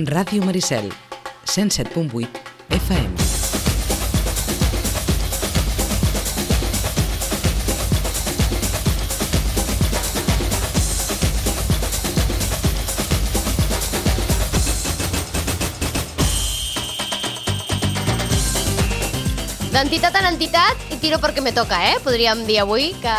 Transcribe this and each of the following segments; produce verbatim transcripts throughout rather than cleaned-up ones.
Ràdio Maricel, cent set punt vuit F M. D'entitat en entitat, i tiro perquè me toca, eh? Podríem dir avui que,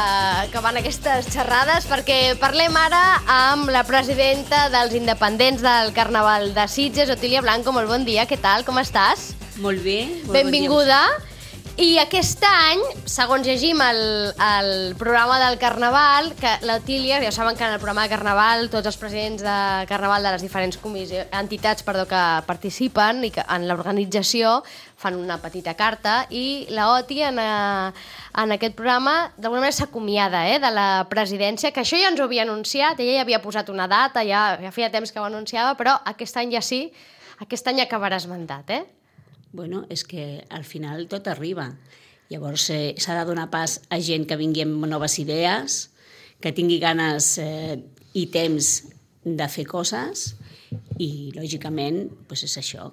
que van aquestes xerrades, perquè parlem ara amb la presidenta dels independents del Carnaval de Sitges, Otília Blanco. Molt bon dia, què tal, com estàs? Molt bé. Molt Benvinguda. Bon dia. I aquest any, segons llegim el, el programa del Carnaval, que l'Otília, ja saben que en el programa de Carnaval tots els presidents de Carnaval de les diferents comissions, entitats perdó, que participen i que en l'organització fan una petita carta, i la Oti en, a, en aquest programa d'alguna manera s'acomiada eh, de la presidència, que això ja ens ho havia anunciat, ella ja havia posat una data, ja, ja feia temps que ho anunciava, però aquest any ja sí, aquest any acabaràs mandat, eh? Bueno, és que al final tot arriba. Llavors eh, s'ha de donar pas a gent que vingui amb noves idees, que tingui ganes eh, i temps de fer coses, i lògicament doncs és això.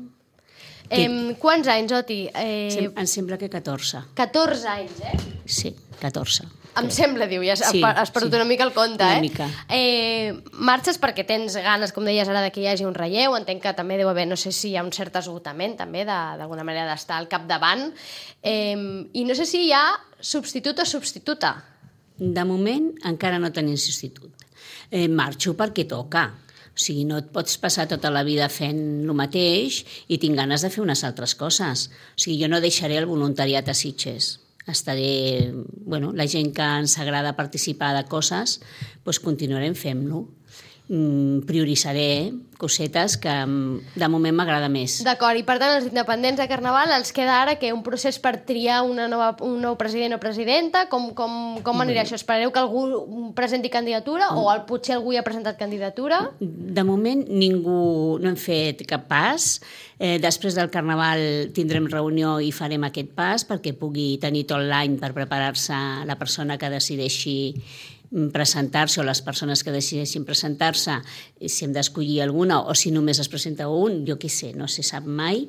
Que... Eh, quants anys, Oti? Eh... Sem em sembla que catorze. catorze anys, eh? Sí, catorze. Em sembla, diu, ja has, sí, has perdut sí. una mica el compte, una eh? Mica. eh? Marxes perquè tens ganes, com deies ara, que hi hagi un relleu, entenc que també deu haver, no sé si hi ha un cert esgotament també, d'alguna manera d'estar al capdavant, eh, i no sé si hi ha substitut o substituta. De moment encara no tenim substitut. Eh, marxo perquè toca. O sigui, no et pots passar tota la vida fent el mateix i tinc ganes de fer unes altres coses. O sigui, jo no deixaré el voluntariat a Sitges. Estaré, bueno, la gent que ens agrada participar de coses, doncs continuarem fent-lo. Mm, prioritzaré cosetes que de moment m'agrada més. D'acord, i per tant els independents de Carnaval els queda ara que un procés per triar una nova, un nou president o presidenta, com, com, com anirà això? Esperareu que algú presenti candidatura o el, potser algú hi ha presentat candidatura? De moment ningú no hem fet cap pas. Eh, després del Carnaval tindrem reunió i farem aquest pas perquè pugui tenir tot l'any per preparar-se la persona que decideixi presentar-se, o les persones que decideixin presentar-se, si hem d'escollir alguna o si només es presenta un, jo què sé, no se sap mai.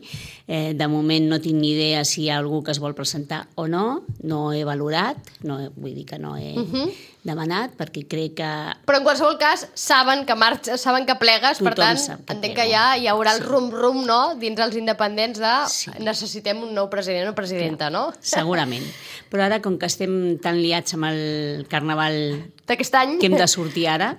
Eh, de moment no tinc ni idea si hi ha algú que es vol presentar o no, no he valorat, no, vull dir que no he uh-huh. demanat, perquè crec que... Però en qualsevol cas saben que marxes, saben que plegues, tothom per tant, que entenc plego. que ja hi haurà el sí. rum-rum, no?, dins els independents de sí. necessitem un nou president o presidenta, Clar, no? Segurament. Però ara, com que estem tan liats amb el Carnaval d'aquest any, que hem de sortir ara,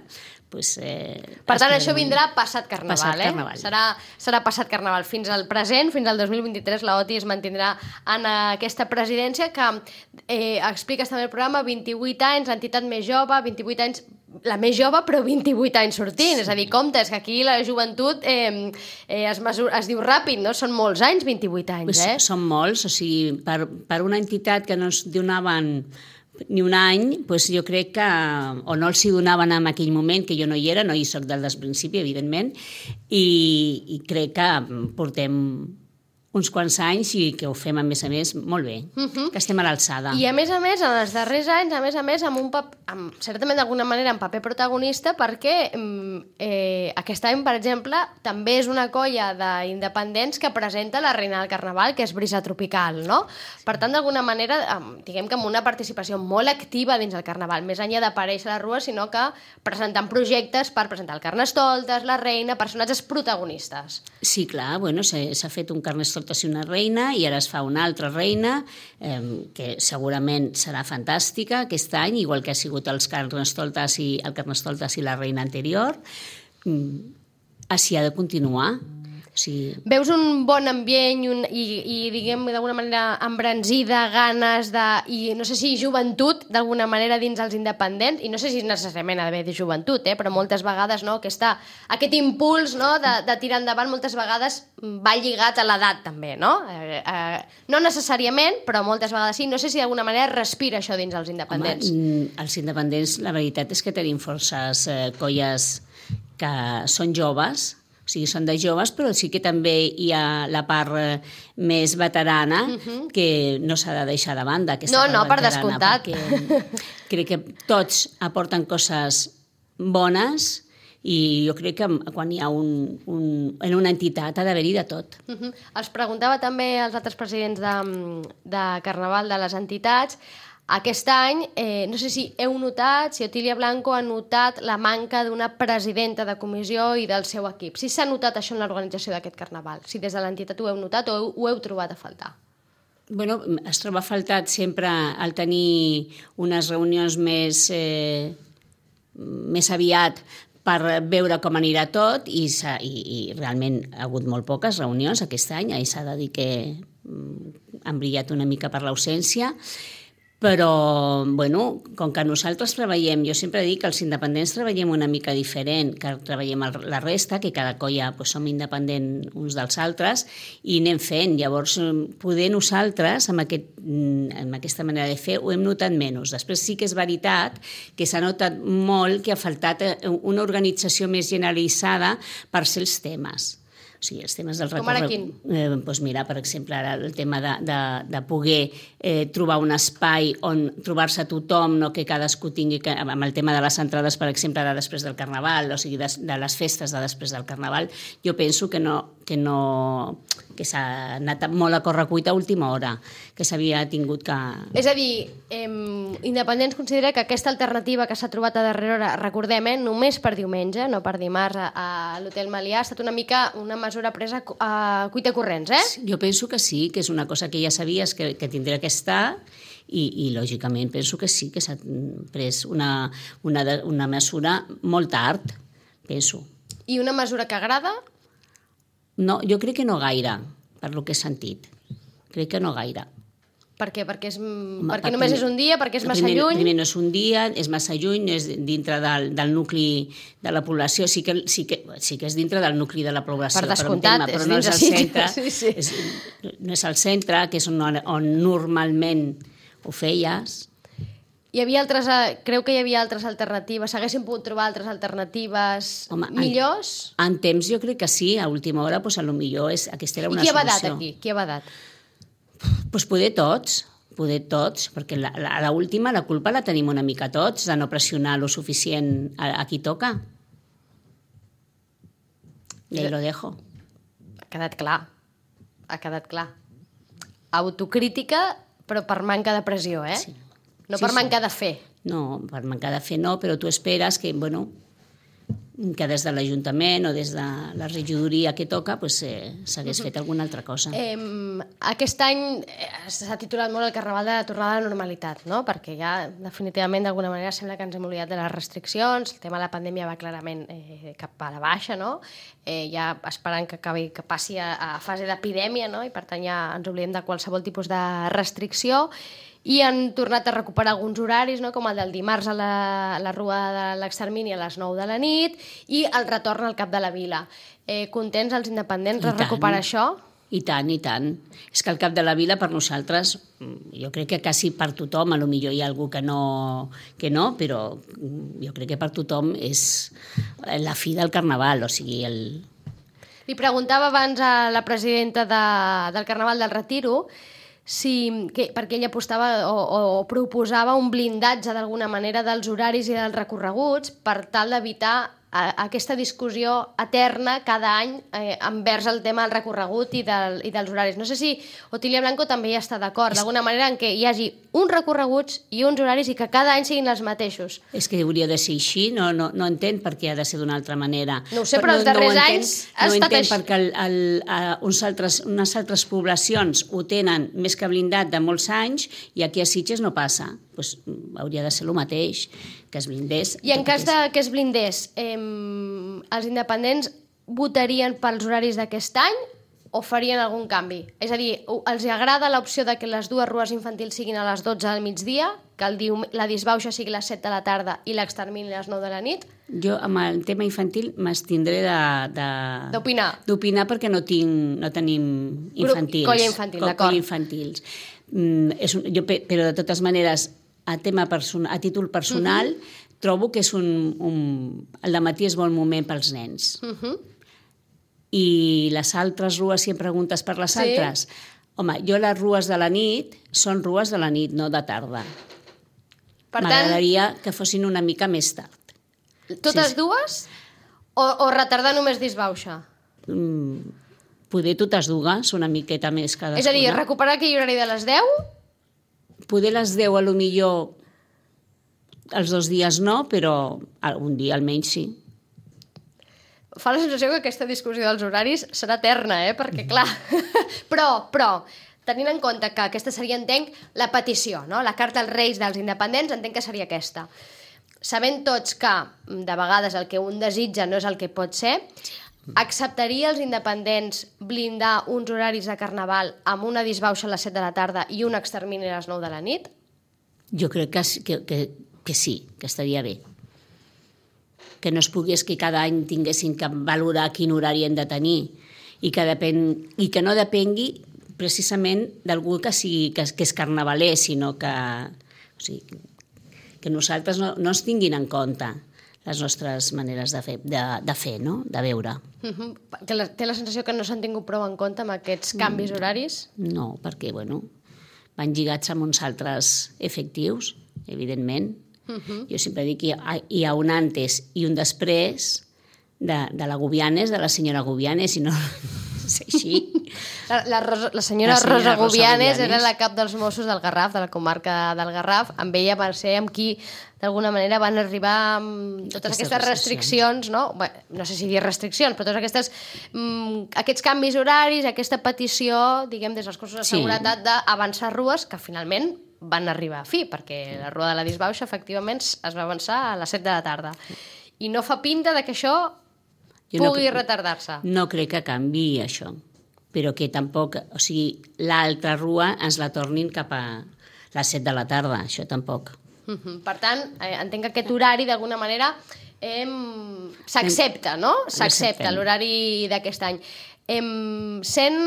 pues, eh, per tant, això vindrà passat Carnaval, passat eh? Carnaval. Serà, serà passat Carnaval. Fins al present, fins al dos mil vint-i-tres, la Oti es mantindrà en aquesta presidència que eh, expliques també el programa, vint-i-vuit anys, l'entitat més jove, vint-i-vuit anys, la més jove, però vint-i-vuit anys sortint. Sí. És a dir, compte, és que aquí la joventut eh, eh, es, mesura, es diu ràpid, no? Són molts anys, vint-i-vuit anys, pues, eh? Són molts, o sigui, per, per una entitat que no es donaven ni un any, doncs jo crec que o no els hi donaven en aquell moment, que jo no hi era, no hi soc del principi, evidentment, i, i crec que portem uns quants anys i que ho fem, a més a més, molt bé, uh-huh. que estem a l'alçada. I a més a més, en els darrers anys, a més a més, amb un pap amb, certament d'alguna manera en paper protagonista, perquè eh, aquest any, per exemple, també és una colla d'independents que presenta la Reina del Carnaval, que és Brisa Tropical, no? Per tant, d'alguna manera, diguem que amb una participació molt activa dins el Carnaval, més enllà d'aparèixer a la rua, sinó que presentant projectes per presentar el Carnestoltes, la Reina, personatges protagonistes. Sí, clar, bueno, s'ha fet un Carnestoltes i una reina, i ara es fa una altra reina, eh, que segurament serà fantàstica aquest any, igual que ha sigut els Carnestoltes i el Carnestoltes i la reina anterior. Mm, així ha de continuar. Sí. Veus un bon ambient i, un, i, i diguem, d'alguna manera embranzida, ganes de... i no sé si joventut, d'alguna manera, dins els independents, i no sé si necessàriament ha d'haver de joventut, eh, però moltes vegades, no, aquesta, aquest impuls, no, de, de tirar endavant moltes vegades va lligat a l'edat també, no? Eh, eh, no necessàriament, però moltes vegades sí. No sé si d'alguna manera respira això dins els independents. Home, els independents, la veritat és que tenim forces eh, colles que són joves, o sigui, són de joves, però sí que també hi ha la part eh, més veterana uh-huh. que no s'ha de deixar de banda. No, no, per descomptat. Crec que tots aporten coses bones I jo crec que quan hi ha un, un, en una entitat ha d'haver-hi de tot. Uh -huh. Els preguntava també als altres presidents de, de Carnaval de les entitats. Aquest any, eh, no sé si heu notat, si Otília Blanco ha notat la manca d'una presidenta de comissió i del seu equip. Si s'ha notat això en l'organització d'aquest Carnaval, si des de l'entitat ho heu notat o heu, ho heu trobat a faltar. Bueno, es troba faltat sempre el tenir unes reunions més, eh, més aviat per veure com anirà tot i, i, i realment ha hagut molt poques reunions aquest any, i s'ha de dir que han brillat una mica per l'ausència. Però, bueno, com que nosaltres treballem, jo sempre dic que els independents treballem una mica diferent, que treballem la resta, que cada colla pues, som independents uns dels altres, i anem fent. Llavors, poder nosaltres, amb, aquest, amb aquesta manera de fer, ho hem notat menys. Després sí que és veritat que s'ha notat molt que ha faltat una organització més generalitzada per ser els temes. O sigui, els temes del recorregut... Com ara quin? Eh, doncs mira, per exemple, ara el tema de, de, de poder eh, trobar un espai on trobar-se tothom, no que cadascú tingui... Que, amb el tema de les entrades, per exemple, de després del Carnaval, o sigui, de, de les festes de després del Carnaval, jo penso que no... que no que s'ha anat molt a correcuita a última hora, que s'havia tingut que... És a dir, eh, Independents considera que aquesta alternativa que s'ha trobat a darrera hora, recordem, eh, només per diumenge, no per dimarts, a, a l'Hotel Melià, ha estat una mica una mesura presa a cuita corrents, eh? Jo penso que sí, que és una cosa que ja sabies que, que tindria que estar i, i lògicament penso que sí, que s'ha pres una, una, una mesura molt tard, penso. I una mesura que agrada? No, jo crec que no gaire, per lo que he sentit. Crec que no gaire. Per què? Perquè, és, Home, perquè només primer, és un dia, perquè és massa primer, lluny? Primer no és un dia, és massa lluny, és dintre del, del nucli de la població. Sí que, sí, que, sí que és dintre del nucli de la població, per descomptat, per un tema, però és no és al centre. Sí, sí. És, no és al centre, que és on, on normalment ho feies. Hi havia altres, creu que hi havia altres alternatives? S'haguessin pogut trobar altres alternatives Home, millors? En, en temps jo crec que sí, a última hora pues, a lo millor és, aquesta era una solució. I qui ha badat aquí? Qui ha badat? Pues poder tots, poder tots, perquè la, la, a l'última la culpa la tenim una mica tots, de no pressionar lo suficient a, a qui toca. I ahí lo dejo. Ha quedat clar, ha quedat clar. Autocrítica, però per manca de pressió, eh? Sí. No sí, per sí. mancar de fer. No, per mancar de fer no, però tu esperes que, bueno, que des de l'Ajuntament o des de la regidoria que toca pues, eh, s'hagués fet alguna altra cosa. Eh, aquest any s'ha titulat molt el Carnaval de la tornada a la normalitat, no? Perquè ja definitivament d'alguna manera sembla que ens hem oblidat de les restriccions, el tema de la pandèmia va clarament eh, cap a la baixa, no? Eh, ja esperant que, acabi, que passi a, a fase d'epidèmia, no? I per tant ja ens oblidem de qualsevol tipus de restricció. I han tornat a recuperar alguns horaris, no? Com el del dimarts a la, a la Rua de l'Extermini a les nou de la nit i el retorn al Cap de la Vila. Eh, contents els independents de recuperar això? I tant, i tant. És que el Cap de la Vila per nosaltres, jo crec que quasi per tothom, a lo millor hi ha algú que no, que no, però jo crec que per tothom és la fi del Carnaval, o sigui, el... Li preguntava abans a la presidenta de, del Carnaval del Retiro si, que, perquè ella apostava o, o proposava un blindatge d'alguna manera dels horaris i dels recorreguts per tal d'evitar a, aquesta discussió eterna cada any eh, envers el tema del recorregut i, del, i dels horaris. No sé si Otília Blanco també hi està d'acord, d'alguna manera en què hi hagi uns recorreguts i uns horaris i que cada any siguin els mateixos. És que hauria de ser així, no, no, no entenc per què ha de ser d'una altra manera. No ho sé, però, però els darrers no anys ha no estat entenc així. perquè el, el, uh, uns altres, unes altres poblacions ho tenen més que blindat de molts anys i aquí a Sitges no passa. Pues, hauria de ser el mateix, que es blindés. I en cas de que es blindés, eh, els independents votarien pels horaris d'aquest any o farien algun canvi? És a dir, els agrada l'opció de que les dues rues infantils siguin a les dotze del migdia, que el dium la disbauxa sigui a les set de la tarda i l'extermini a les nou de la nit? Jo, amb el tema infantil, m'estindré d'opinar d'opinar perquè no, tinc, no tenim infantils. Grup, colla infantil, d'acord. Colla infantils. Mm, és un, jo, però, de totes maneres, a, tema person, a títol personal, uh-huh. trobo que és un, un... el dematí és bon moment pels nens. Uh-huh. I les altres rues, si em preguntes per les sí. altres, home, jo les rues de la nit són rues de la nit, no de tarda. Per M'agradaria tant... que fossin una mica més tard. Totes sí. dues? O, o retardar només disbauxa? Mm, poder totes dues, una miqueta més cadascuna. És a dir, recuperar aquell horari de les deu? Poder les deu, a lo millor, els dos dies no, però un dia almenys sí. Fa la sensació que aquesta discussió dels horaris serà eterna, eh? Perquè, clar... però, però, tenint en compte que aquesta seria, entenc, la petició, no? La carta als Reis dels independents, entenc que seria aquesta. Sabent tots que, de vegades, el que un desitja no és el que pot ser, acceptaria els independents blindar uns horaris de carnaval amb una disbauxa a les set de la tarda i un extermini a les nou de la nit? Jo crec que, que, que, que sí, que estaria bé. Que no es pogués que cada any tinguessin que valorar quin horari hem de tenir i que, depèn, i que no depengui precisament d'algú que, sigui, que, que és carnavaler, sinó que, o sigui, que nosaltres no, no es tinguin en compte les nostres maneres de fer, de, de fer, no? De veure. Uh-huh. Que la, té la sensació que no s'han tingut prou en compte amb aquests canvis horaris? No, perquè bueno, van lligats amb uns altres efectius, evidentment. Uh-huh. Jo sempre dic que hi ha, hi ha un antes i un després de, de la Gubianes, de la senyora Gubianes, i no és així. La, la, Rosa, la senyora, la senyora Rosa Gubianes era la cap dels Mossos del Garraf, de la comarca del Garraf. Amb ella va ser amb qui, d'alguna manera, van arribar amb totes aquestes restriccions, no? Bé, no sé si dir restriccions, però tots aquestes, mm, aquests canvis horaris, aquesta petició, diguem, des dels cossos de seguretat, sí, d'avançar rues, que finalment van arribar a fi, perquè la rua de la disbauxa, efectivament, es va avançar a les set de la tarda. I no fa pinta de que això jo pugui no, retardar-se. No crec que canviï això, però que tampoc, o sigui, l'altra rua ens la tornin cap a les set de la tarda, això tampoc. Uh-huh. Per tant, eh, entenc que aquest horari, d'alguna manera, eh, s'accepta, no? S'accepta l'horari d'aquest any. Eh, sent,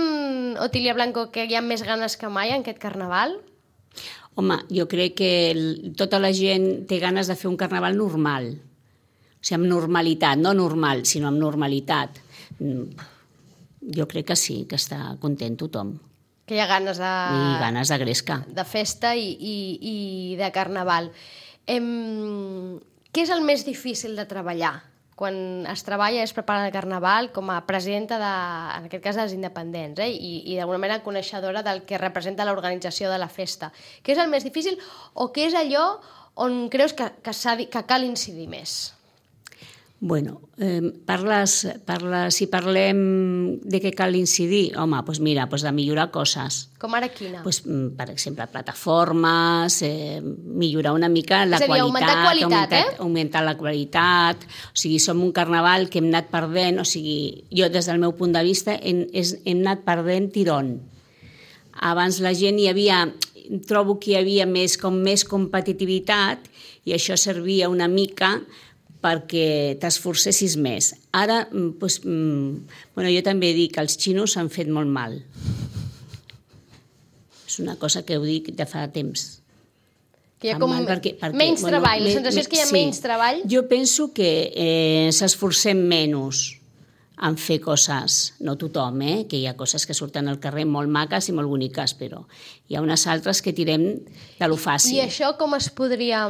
Otília Blanco, que hi ha més ganes que mai en aquest carnaval? Home, jo crec que tota la gent té ganes de fer un carnaval normal. O sigui, amb normalitat, no normal, sinó amb normalitat. Jo crec que sí, que està content tothom. Que hi ha ganes de... I ganes de gresca. De festa i, i, i de carnaval. Em... Què és el més difícil de treballar? Quan es treballa, es prepara el carnaval com a presidenta, de, en aquest cas, dels independents, eh? I, i d'alguna manera coneixedora del que representa l'organització de la festa. Què és el més difícil o què és allò on creus que, que, que cal incidir més? Bueno, eh, parles, parles, si parlem de què cal incidir, home, doncs mira, doncs de millorar coses. Com ara quina? Doncs, per exemple, plataformes, eh, millorar una mica la és a dir, qualitat. Augmentar qualitat, augmentar, eh? Augmentar la qualitat. O sigui, som un carnaval que hem anat perdent, o sigui, jo des del meu punt de vista hem, hem anat perdent tirón. Abans la gent hi havia, trobo que hi havia més, com més competitivitat i això servia una mica perquè t'esforcessis més. Ara, doncs, bueno, jo també dic que els xinos s'han fet molt mal. És una cosa que ho dic de fa temps. Que hi ha com perquè, perquè, menys bueno, treball, la sensació és que hi ha sí. menys treball. Jo penso que eh, s'esforcem menys en fer coses, no tothom, eh? Que hi ha coses que surten al carrer molt maques i molt boniques, però hi ha unes altres que tirem de lo fàcil. I això com es podria...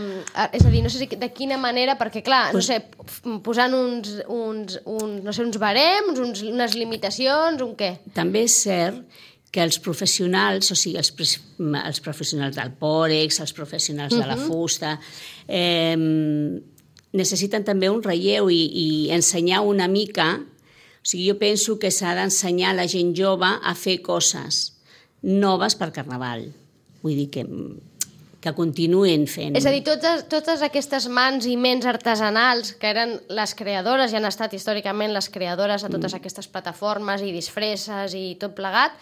És a dir, no sé si de quina manera, perquè clar, pues, no sé, posant uns, uns, uns, no sé, uns barems, uns, unes limitacions, un què? També és cert que els professionals, o sigui, els, els professionals del pòrex, els professionals uh-huh. de la fusta, eh, necessiten també un relleu i, i ensenyar una mica. O sigui, jo penso que s'ha d'ensenyar a la gent jove a fer coses noves per Carnaval. Vull dir que, que continuen fent. És a dir, totes, totes aquestes mans i ments artesanals que eren les creadores i han estat històricament les creadores de totes mm. aquestes plataformes i disfresses i tot plegat,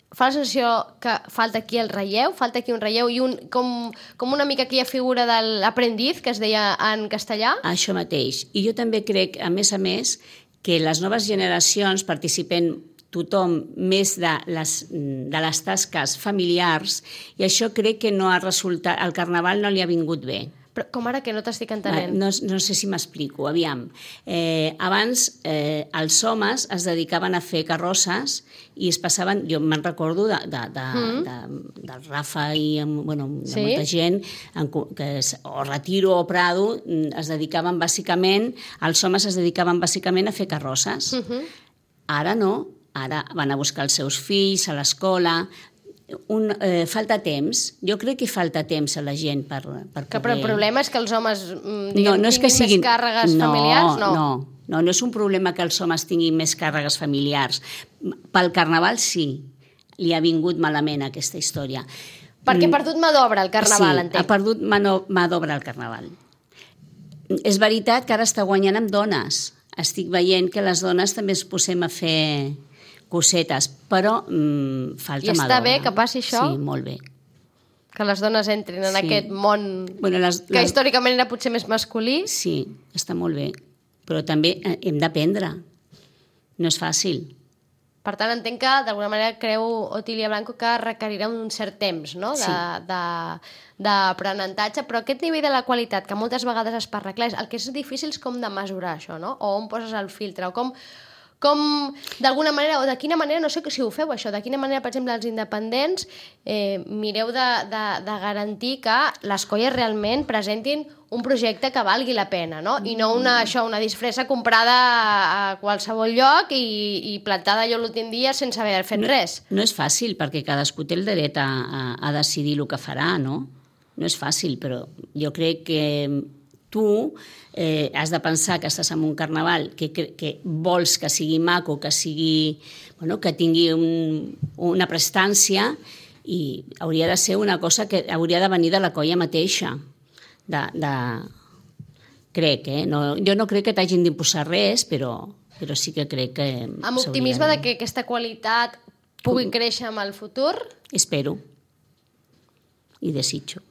fa la sensació que falta aquí el relleu, falta aquí un relleu i un, com, com una mica aquella figura de l'aprendiz que es deia en castellà? Això mateix. I jo també crec, a més a més, que les noves generacions participen tothom més de les, de les tasques familiars i això crec que no ha resultat, al Carnaval no li ha vingut bé. Però com ara que no t'estic Va, entenent? no, no sé si m'explico. Aviam, eh, abans eh, els homes es dedicaven a fer carrosses i es passaven, jo me'n recordo de, de, de, mm. de, del Rafa i bueno, de Sí? molta gent, en, co- que es, o Retiro o Prado, mm, es dedicaven bàsicament, els homes es dedicaven bàsicament a fer carrosses. Uh -huh. Ara no, ara van a buscar els seus fills a l'escola. Un, eh, falta temps. Jo crec que falta temps a la gent per, per Que, poder... però el problema és que els homes mm, No, diguem, no és que tinguin siguin... més càrregues no, familiars? No, no, no, no és un problema que els homes tinguin més càrregues familiars. Pel Carnaval sí, li ha vingut malament aquesta història. Perquè ha perdut mà d'obra el Carnaval, sí, entenc. ha perdut mà, no, mà d'obra el Carnaval. És veritat que ara està guanyant amb dones. Estic veient que les dones també es posem a fer cosetes, però mm, falta I mà està d'obra. bé que passi això? Sí, molt bé. Que les dones entrin en Sí. aquest món Bueno, les, que històricament era potser més masculí. Sí, està molt bé. Però també eh, hem d'aprendre. No és fàcil. Per tant, entenc que d'alguna manera creu Otília Blanco que requerirà un cert temps, no?, de, Sí. de, d'aprenentatge, però aquest nivell de la qualitat que moltes vegades es parla, clar, el que és difícil és com de mesurar això, no? O on poses el filtre, o com, com d'alguna manera, o de quina manera, no sé si ho feu això, de quina manera, per exemple, els independents eh, mireu de, de, de garantir que les colles realment presentin un projecte que valgui la pena, no? I no una, això, una disfressa comprada a, a qualsevol lloc i, i plantada allò l'últim dia sense haver fet res. No és fàcil, perquè cadascú té el dret a, a, a decidir el que farà, no? No és fàcil, però jo crec que tu eh, has de pensar que estàs en un carnaval que, que, que vols que sigui maco, que sigui, bueno, que tingui un, una prestància, i hauria de ser una cosa que hauria de venir de la colla mateixa. De, de... Crec, eh? No, jo no crec que t'hagin d'imposar res, però, però sí que crec que... Amb optimisme de que aquesta qualitat pugui créixer amb el futur. Espero. I desitjo.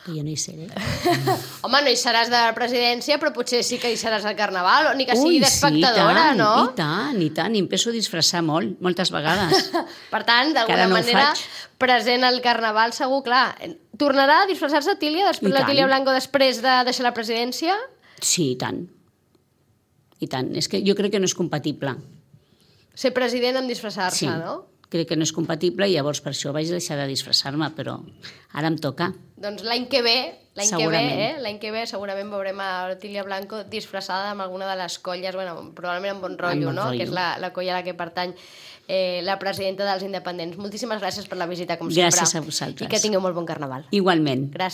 Que jo no hi seré. Home, no hi seràs de la presidència, però potser sí que hi seràs al Carnaval, o ni que sigui Ui, d'espectadora, sí, i tant, no? I tant, i tant. I em penso disfressar molt, moltes vegades. Per tant, Que d'alguna ara no ho manera, faig. present al Carnaval, segur, clar. Tornarà a disfressar-se Otília, després I tant. l'Otília Blanco després de deixar la presidència? Sí, i tant. I tant. És que jo crec que no és compatible. Ser president amb disfressar-se, Sí. no? Crec que no és compatible i llavors per això vaig deixar de disfressar-me, però ara em toca. Doncs l'any que ve, l'any que ve, Segurament. eh? L'any que ve segurament veurem a Otília Blanco disfressada amb alguna de les colles, bueno, probablement amb Bon Rotllo, Bon no? Rotllo. Que és la, la colla a la que pertany eh, la presidenta dels independents. Moltíssimes gràcies per la visita, com Gràcies sempre. a vosaltres. I que tingueu molt bon Carnaval. Igualment. Gràcies.